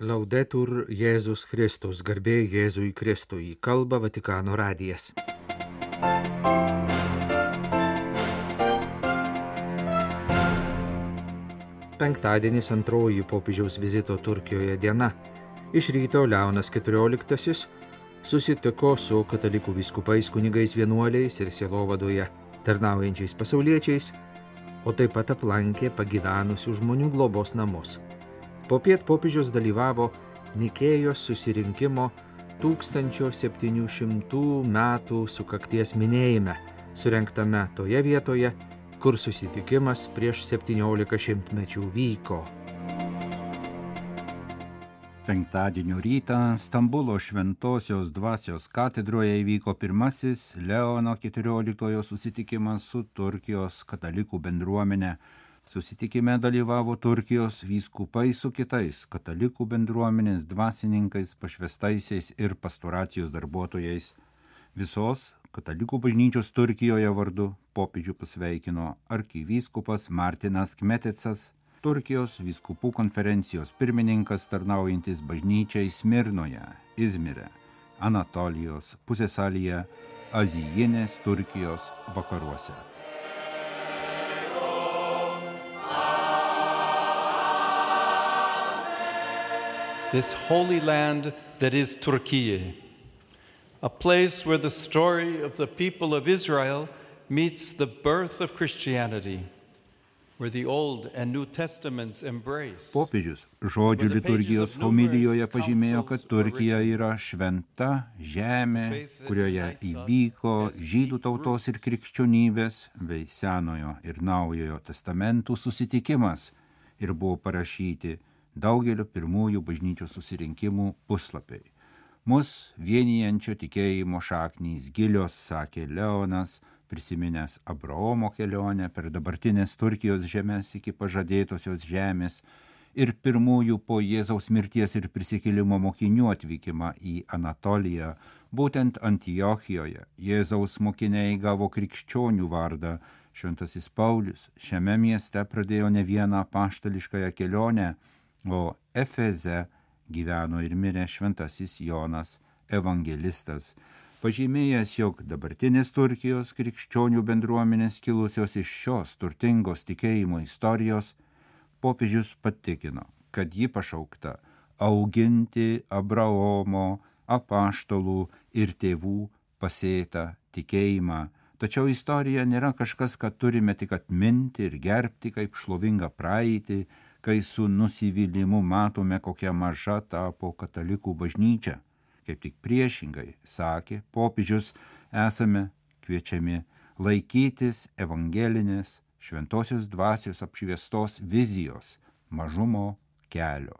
Laudetur Jėzus Kristus, garbė Jėzui Kristui, kalba Vatikano radijas. Penktadienis antroji popiežiaus vizito Turkijoje diena. Iš ryto Leonas XIV susitiko su katalikų vyskupais, kunigais, vienuoliais ir sielovadoje tarnaujančiais pasauliečiais, o taip pat aplankė pagyvenusių žmonių globos namus. Popiet popiežius dalyvavo Nikėjos susirinkimo 1700 metų sukakties minėjime, surengtame toje vietoje, kur susitikimas prieš 17 šimtmečių vyko. Penktadienio rytą Stambulo Šventosios dvasios katedroje įvyko pirmasis Leono XIV susitikimas su Turkijos katalikų bendruomenė. Susitikime dalyvavo Turkijos vyskupai su kitais katalikų bendruomenės dvasininkais, pašvestaisiais ir pastoracijos darbuotojais. Visos katalikų bažnyčios Turkijoje vardu popiežių pasveikino arkivyskupas Martinas Kmetecas, Turkijos vyskupų konferencijos pirmininkas tarnaujantis bažnyčiai Smirnoje, Izmire, Anatolijos pusiasalyje, Azijinės Turkijos vakaruose. This holy land that is Turkey, a place where the story of the people of Israel meets the birth of Christianity, where the Old and New Testaments embrace. Popiežius žodžių liturgijos homilijoje pažymėjo, kad Turkija yra šventa žemė, kurioje įvyko žydų tautos ir krikščionybės bei Senojo ir Naujojo testamentų susitikimas ir buvo parašyti daugelio pirmųjų bažnyčios susirinkimų puslapiai. Mus vienijančio tikėjimo šaknys gilios, sakė Leonas, prisiminęs Abraomo kelionę per dabartinės Turkijos žemės iki pažadėtosios žemės ir pirmųjų po Jėzaus mirties ir prisikėlimo mokinių atvykimą į Anatoliją. Būtent Antiochijoje Jėzaus mokiniai gavo krikščionių vardą. Šventasis Paulius šiame mieste pradėjo ne vieną apaštališkąją kelionę, o Efeze gyveno ir mirė šventasis Jonas evangelistas, pažymėjęs, jog dabartinės Turkijos krikščionių bendruomenės kilusios iš šios turtingos tikėjimo istorijos, popiežius patikino, kad ji pašaukta auginti Abraomo, apaštalų ir tėvų pasėtą tikėjimą. Tačiau istorija nėra kažkas, ką turime tik atminti ir gerbti kaip šlovingą praeitį, kai su nusivylimu matome, kokia maža tapo katalikų bažnyčia. Kaip tik priešingai, sakė popiežius, esame kviečiami laikytis evangelinės šventosios dvasios apšviestos vizijos mažumo kelio.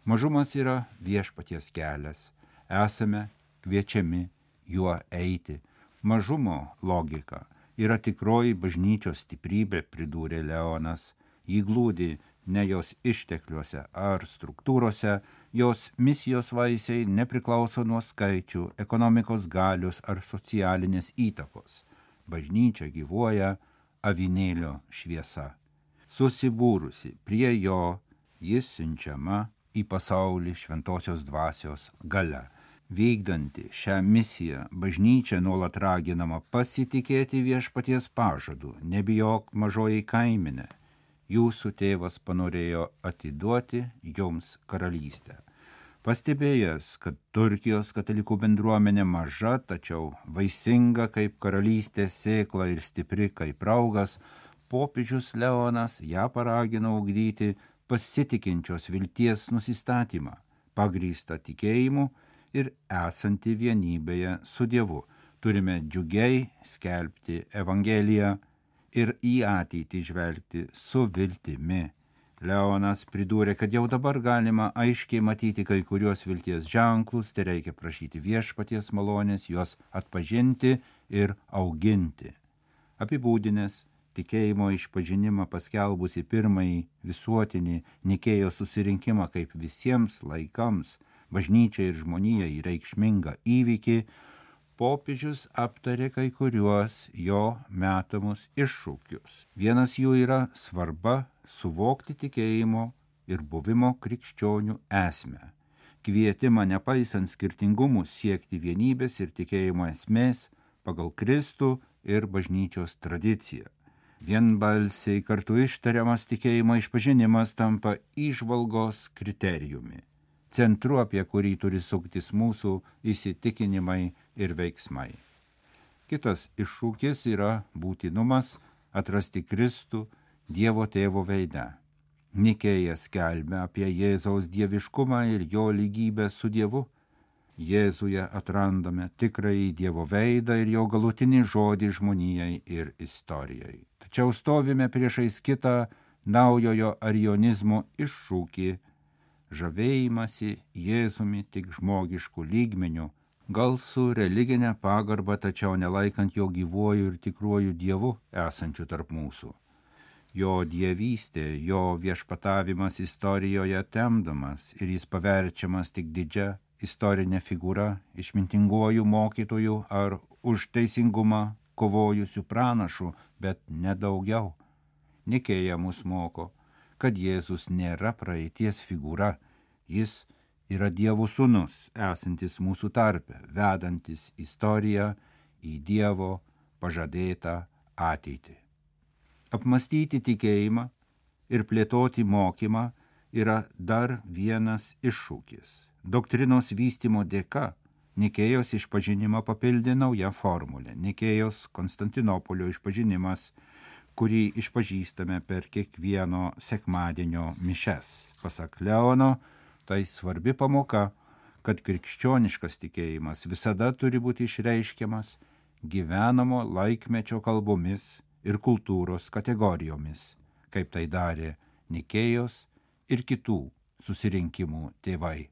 Mažumas yra viešpaties kelias, esame kviečiami juo eiti. Mažumo logika yra tikroji bažnyčios stiprybė, pridūrė Leonas. Ji glūdi ne jos ištekliuose ar struktūrose, jos misijos vaisiai nepriklauso nuo skaičių, ekonomikos galios ar socialinės įtakos. Bažnyčia gyvuoja avinėlio šviesa. Susibūrusi prie jo, jis siunčiama į pasaulį šventosios dvasios galia. Vykdanti šią misiją, bažnyčia nuolat raginama pasitikėti viešpaties pažadu, nebijok mažoji kaiminė. Jūsų tėvas panorėjo atiduoti jums karalystę. Pastebėjęs, kad Turkijos katalikų bendruomenė maža, tačiau vaisinga kaip karalystės sėkla ir stipri kaip raugas, popiežius Leonas ją paragino ugdyti pasitikinčios vilties nusistatymą, pagrįstą tikėjimu ir esantį vienybėje su Dievu. Turime džiugiai skelbti Evangeliją ir į ateitį žvelgti su viltimi. Leonas pridūrė, kad jau dabar galima aiškiai matyti kai kuriuos vilties ženklus, tai reikia prašyti viešpaties malonės, juos atpažinti ir auginti. Apibūdinęs tikėjimo išpažinimą paskelbusi pirmąjį visuotinį Nikėjos susirinkimą kaip visiems laikams bažnyčiai ir žmonijai reikšmingą įvykį, popiežius aptarė kai kuriuos jo metamus iššūkius. Vienas jų yra svarba suvokti tikėjimo ir buvimo krikščionių esmę, kvietimą nepaisant skirtingumų siekti vienybės ir tikėjimo esmės pagal Kristų ir bažnyčios tradiciją. Vienbalsiai kartu ištariamas tikėjimo išpažinimas tampa įžvalgos kriterijumi, centru, apie kurį turi suktis mūsų įsitikinimai ir veiksmai. Kitas iššūkis yra būtinumas atrasti Kristų Dievo Tėvo veide. Nikėja skelbia apie Jėzaus dieviškumą ir jo lygybę su Dievu. Jėzuje atrandame tikrąjį Dievo veidą ir jo galutinį žodį žmonijai ir istorijai. Tačiau stovime priešais kitą naujojo arionizmo iššūkį, žavėjimąsi Jėzumi tik žmogiškų lygmenių, gal su religinė pagarba, tačiau nelaikant jo gyvuoju ir tikruoju Dievu esančiu tarp mūsų. Jo dievystė, jo viešpatavimas istorijoje temdomas ir jis paverčiamas tik didžia istorinė figūra, išmintinguoju mokytoju ar už teisingumą kovojusių pranašų, bet nedaugiau. Nikėja mus moko, kad Jėzus nėra praeities figūra, jis yra Dievo sūnus, esantis mūsų tarpe, vedantis istoriją į Dievo pažadėtą ateitį. Apmastyti tikėjimą ir plėtoti mokymą yra dar vienas iššūkis. Doktrinos vystymo dėka Nikėjos išpažinimą papildė nauja formulė. Nikėjos Konstantinopolio išpažinimas, kurį išpažįstame per kiekvieno sekmadienio mišes. Pasak Leono, tai svarbi pamoka, kad krikščioniškas tikėjimas visada turi būti išreiškiamas gyvenamo laikmečio kalbomis ir kultūros kategorijomis, kaip tai darė Nikėjos ir kitų susirinkimų tėvai.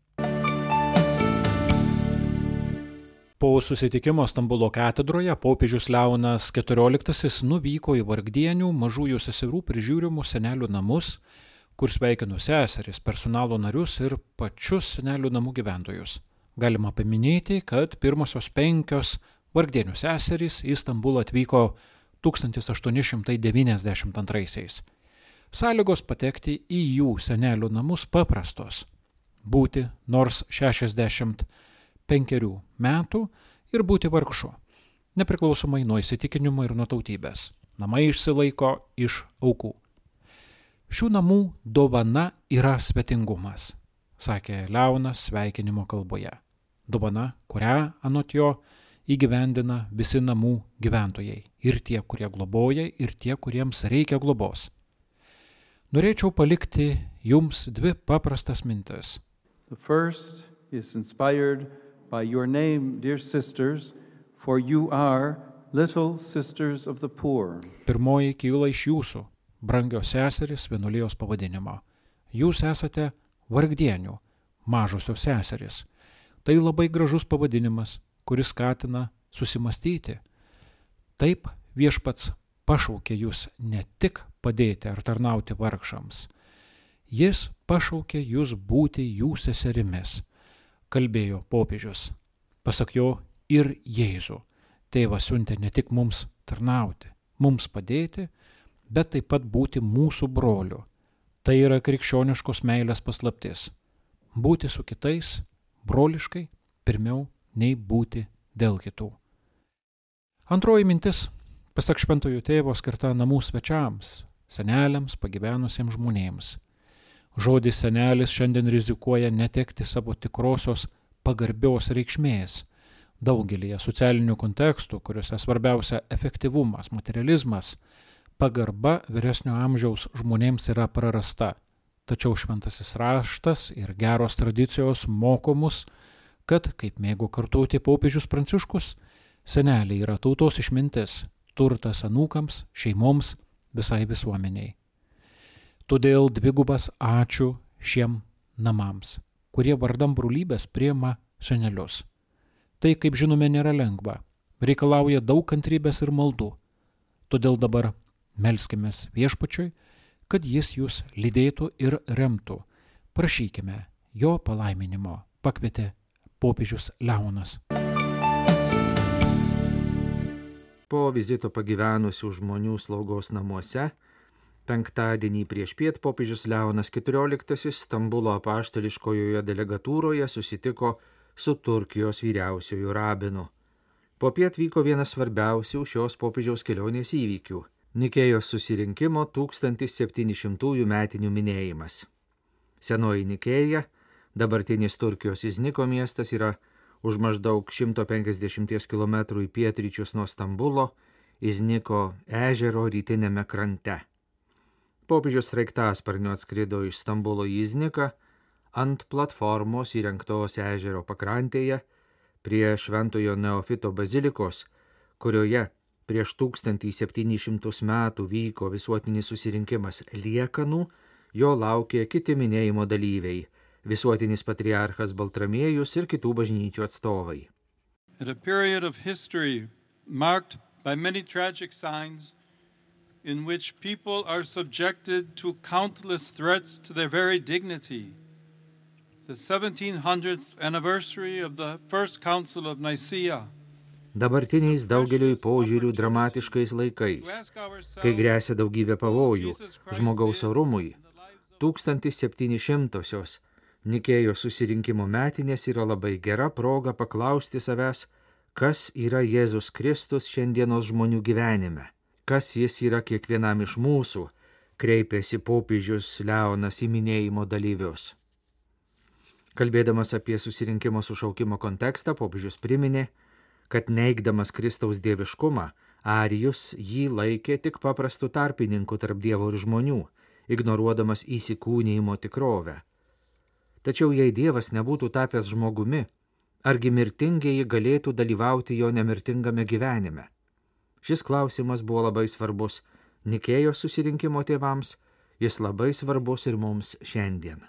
Po susitikimo Stambulo katedroje popiežius Leonas XIV nuvyko į vargdienių mažųjų seserų prižiūrimų senelių namus, kur sveikino seseris, personalo narius ir pačius senelių namų gyventojus. Galima paminėti, kad pirmosios 5 vargdienių seserys į Stambulą atvyko 1892. Sąlygos patekti į jų senelių namus paprastos. Būti nors 65 metų ir būti vargšu, nepriklausomai nuo įsitikinimo ir nuo tautybės. Namai išsilaiko iš aukų. Šių namų dovana yra svetingumas, sakė Leonas sveikinimo kalboje. Dovana, kurią anot jo įgyvendina visi namų gyventojai, ir tie, kurie globoja, ir tie, kuriems reikia globos. Norėčiau palikti jums 2 paprastas mintis. The first is inspired by your name, dear sisters, for you are little sisters of the poor. Pirmoji kyla iš jūsų, brangios seserys, vienuolijos pavadinimo. Jūs esate vargdienių, mažosios seserys. Tai labai gražus pavadinimas, kuris skatina susimastyti. Taip viešpats pašaukė jūs ne tik padėti ar tarnauti vargšams. Jis pašaukė jūs būti jų seserimis, kalbėjo popiežius. Pasak jo, ir Jėzų tėvas siuntė ne tik mums tarnauti, mums padėti, bet taip pat būti mūsų broliu. Tai yra krikščioniškos meilės paslaptis. Būti su kitais broliškai pirmiau nei būti dėl kitų. Antroji mintis, pasak šventojo tėvo, skirta namų svečiams, seneliams, pagyvenusiems žmonėms. Žodis senelis šiandien rizikuoja netekti savo tikrosios pagarbios reikšmės. Daugelėje socialinių kontekstų, kuriuose svarbiausia efektyvumas, materializmas, pagarba vyresnio amžiaus žmonėms yra prarasta. Tačiau šventasis raštas ir geros tradicijos moko mus, kad, kaip mėgo kartoti popiežius Pranciškus, seneliai yra tautos išmintis, turtas anūkams, šeimoms, visai visuomeniai. Todėl dvigubas ačiū šiem namams, kurie vardan brolybės priima senelius. Tai, kaip žinome, nėra lengva, reikalauja daug kantrybės ir maldų. Todėl dabar melskimės viešpačiui, kad jis jūs lydėtų ir remtų. Prašykime jo palaiminimo, pakvietė popiežius Leonas. Po vizito pagyvenusių žmonių slaugos namuose Penktadienį priešpiet popiežius Leonas XIV Stambulo apaštališkojoje delegatūroje susitiko su Turkijos vyriausiuoju rabinu. Popiet vyko vienas svarbiausių šios popiežiaus kelionės įvykių – Nikėjos susirinkimo 1700 metinių minėjimas. Senoji Nikėja, dabartinis Turkijos Izniko miestas, yra už maždaug 150 km į pietryčius nuo Stambulo, Izniko ežero rytinėme krante. Popiežius sraigtasparniu atskrido iš Stambulo į Izniką ant platformos įrengtos ežero pakrantėje prie Šventojo Neofito bazilikos, kurioje prieš 1700 metų vyko visuotinis susirinkimas liekanų, jo laukė kiti minėjimo dalyviai – visuotinis patriarchas Baltramiejus ir kitų bažnyčių atstovai. At a period of history marked by many tragic signs, in which people are subjected to countless threats to their very dignity, the 1700th anniversary of the First Council of Nicaea. Dabartiniais daugeliui požiūrių dramatiškais laikais, kai grėsia daugybė pavojų žmogaus orumui, 1700-osios Nikėjos susirinkimo metinės yra labai gera proga paklausti savęs, kas yra Jėzus Kristus šiandienos žmonių gyvenime, kas jis yra kiekvienam iš mūsų, kreipėsi popiežius Leonas į minėjimo dalyvius. Kalbėdamas apie susirinkimo sušaukimo kontekstą, popiežius priminė, kad neigdamas Kristaus dieviškumą, Arijus jį laikė tik paprastu tarpininku tarp Dievo ir žmonių, ignoruodamas įsikūnijimo tikrovę. Tačiau jei Dievas nebūtų tapęs žmogumi, argi mirtingieji galėtų dalyvauti jo nemirtingame gyvenime? Šis klausimas buvo labai svarbus Nikėjos susirinkimo tėvams, jis labai svarbus ir mums šiandien.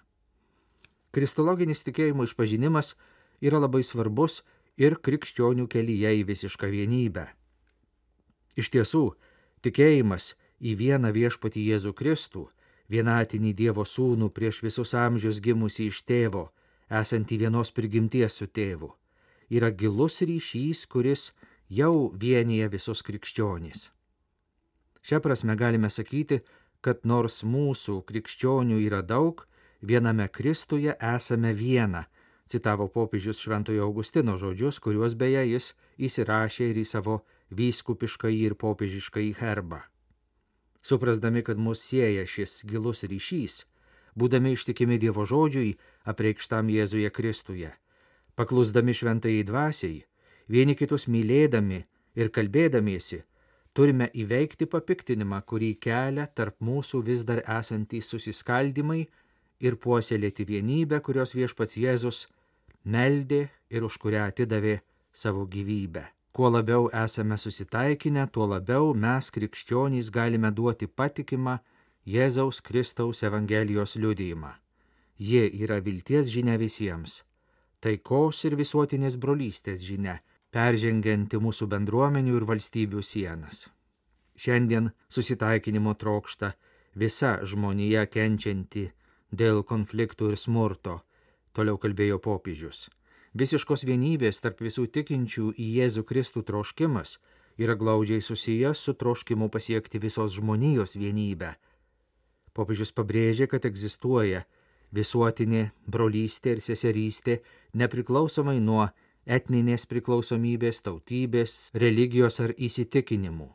Kristologinis tikėjimo išpažinimas yra labai svarbus ir krikščionių kelyje į visišką vienybę. Iš tiesų, tikėjimas į vieną viešpatį Jėzų Kristų, vienatinį Dievo sūnų prieš visus amžius gimusį iš tėvo, esantį vienos prigimties su tėvu, yra gilus ryšys, kuris jau vienyje visus krikščionys. Šią prasme galime sakyti, kad nors mūsų krikščionių yra daug, viename Kristuje esame viena, citavo popiežius Šventojo Augustino žodžius, kuriuos beje jis įsirašė ir į savo vyskupiškąjį ir popiežiškąjį herbą. Suprasdami, kad mus sieja šis gilus ryšys, būdami ištikimi Dievo žodžiui, apreikštam Jėzuje Kristuje, paklusdami šventajai dvasiai, vieni kitus mylėdami ir kalbėdamiesi, turime įveikti papiktinimą, kurį kelia tarp mūsų vis dar esantys susiskaldimai ir puoselėti vienybę, kurios viešpats Jėzus meldė ir už kurią atidavė savo gyvybę. Kuo labiau esame susitaikinę, tuo labiau mes krikščionys galime duoti patikimą Jėzaus Kristaus Evangelijos liudijimą. Ji yra vilties žinia visiems, taikos ir visuotinės brolystės žinia, peržengianti mūsų bendruomenių ir valstybių sienas. Šiandien susitaikinimo trokšta visa žmonija kenčianti dėl konfliktų ir smurto, toliau kalbėjo popiežius. Visiškos vienybės tarp visų tikinčių į Jėzų Kristų troškimas yra glaudžiai susijęs su troškimu pasiekti visos žmonijos vienybę. Popiežius pabrėžė, kad egzistuoja visuotinė brolystė ir seserystė nepriklausomai nuo etninės priklausomybės, tautybės, religijos ar įsitikinimų.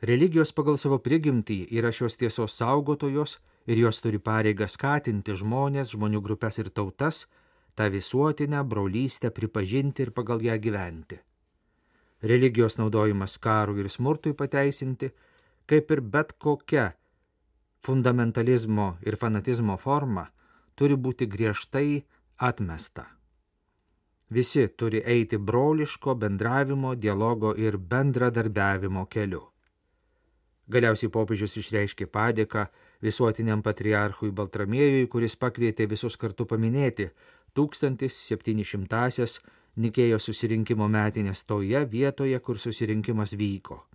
Religijos pagal savo prigimtį yra šios tiesos saugotojos ir jos turi pareigą skatinti žmonės, žmonių grupės ir tautas, tą visuotinę brolystę pripažinti ir pagal ją gyventi. Religijos naudojimas karui ir smurtui pateisinti, kaip ir bet kokia fundamentalizmo ir fanatizmo forma, turi būti griežtai atmesta. Visi turi eiti broliško bendravimo, dialogo ir bendradarbiavimo keliu. Galiausiai popiežius išreiškė padėką visuotiniam patriarchui Baltramiejui, kuris pakvietė visus kartu paminėti 1700-asias Nikėjos susirinkimo metinės toje vietoje, kur susirinkimas vyko.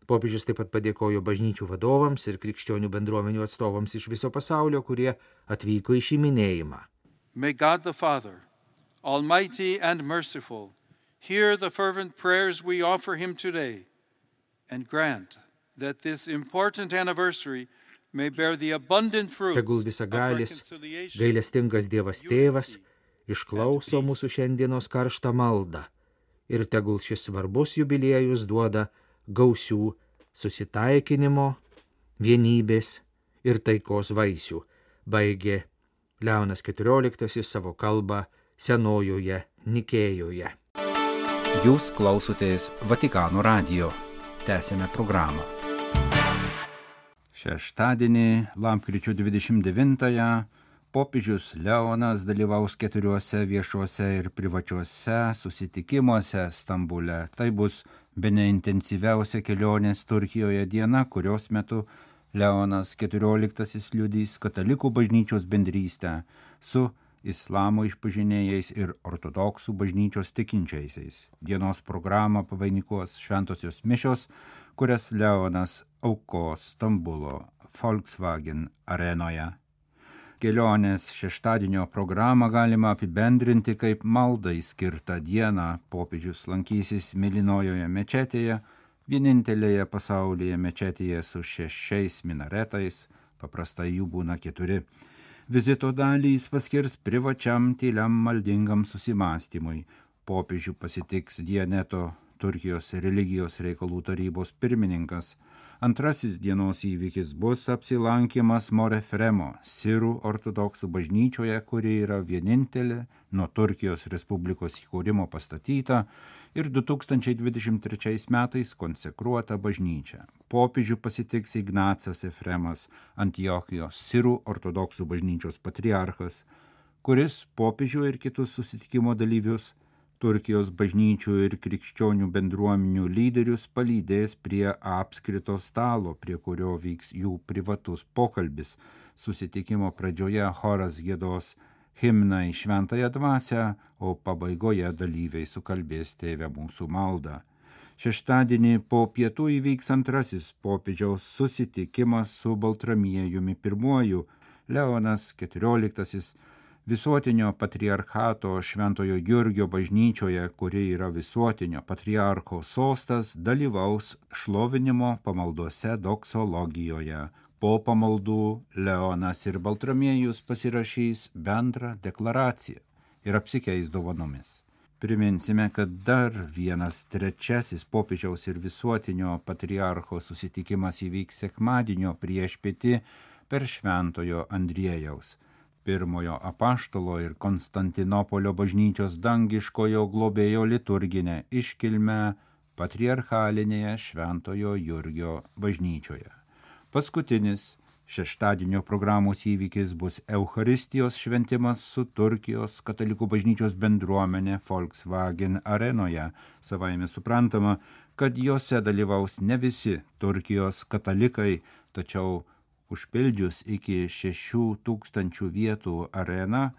Popiežius taip pat padėkojo bažnyčių vadovams ir krikščionių bendruomenių atstovams iš viso pasaulio, kurie atvyko į šį minėjimą. May God the Father, Almighty and merciful, hear the fervent prayers we offer him today and grant that this important anniversary may bear the abundant fruits Tegul of visagalis, reconciliation. gailestingas Dievas Tėvas išklauso mūsų šiandienos karštą maldą ir tegul šis svarbus jubiliejus duoda gausių susitaikinimo, vienybės ir taikos vaisių, baigė Leonas XIV savo kalbą Senojoje Nikėjoje. Jūs klausotės Vatikano radijo. Tęsėme programą. Šeštadienį, lapkričio 29-ąją, popiežius Leonas dalyvaus 4 viešuose ir privačiuose susitikimuose Stambule. Tai bus bene intensyviausia kelionės Turkijoje diena, kurios metu Leonas XIV liudys katalikų bažnyčios bendrystę su islamo išpažinėjais ir ortodoksų bažnyčios tikinčiaisiais. Dienos programą pavainikuos šventosios mišios, kurias Leonas aukos Stambulo Volkswagen arenoje. Kelionės šeštadienio programą galima apibendrinti kaip maldai skirtą dieną. Popiežius lankysis Mėlynojoje mečetėje, vienintelėje pasaulyje mečetėje su 6 minaretais, paprastai jų būna 4. Vizito dalį jis paskirs privačiam tyliam maldingam susimastymui. Popiežių pasitiks Dianeto, Turkijos religijos reikalų tarybos pirmininkas. Antrasis dienos įvykis bus apsilankymas Morefremo, sirų ortodoksų bažnyčioje, kuri yra vienintelė nuo Turkijos Respublikos įkūrimo pastatyta ir 2023 metais konsekruota bažnyčia. Popiežių pasitiks Ignacas Efremas, Antiochijos sirų ortodoksų bažnyčios patriarchas, kuris popiežių ir kitus susitikimo dalyvius, Turkijos bažnyčių ir krikščionių bendruomenių lyderius palydės prie apskrito stalo, prie kurio vyks jų privatus pokalbis. Susitikimo pradžioje choras giedos himną į šventąją dvasią, o pabaigoje dalyviai sukalbės Tėve mūsų maldą. Šeštadienį po pietų įvyks antrasis popiežiaus susitikimas su Baltramiejumi I. Leonas XIV visuotinio patriarchato Šventojo Jurgio bažnyčioje, kuri yra visuotinio patriarcho sostas, dalyvaus šlovinimo pamaldose doksologijoje. Po pamaldų Leonas ir Baltramiejus pasirašys bendrą deklaraciją ir apsikeis dovanomis. Priminsime, kad dar vienas trečiasis popiežiaus ir visuotinio patriarcho susitikimas įvyks sekmadienio priešpietį per Šventojo Andriejaus, pirmojo apaštalo ir Konstantinopolio bažnyčios dangiškojo globėjo liturginę iškilmę patriarchalinėje Šventojo Jurgio bažnyčioje. Paskutinis šeštadienio programos įvykis bus Eucharistijos šventimas su Turkijos katalikų bažnyčios bendruomenė Volkswagen arenoje. Savaime suprantama, kad jose dalyvaus ne visi Turkijos katalikai, tačiau užpildžius iki 6,000 vietų areną,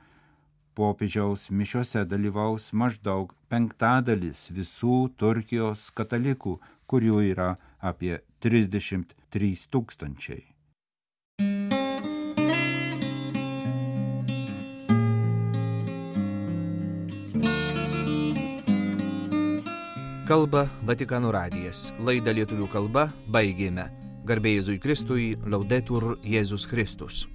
popiežiaus mišiose dalyvaus maždaug 1/5 visų Turkijos katalikų, kurių yra apie 33 000. Kalba Vatikano radijas. Laidą lietuvių kalba baigėme. Garbė Jėzui Kristui, Laudetur Jėzus Kristus.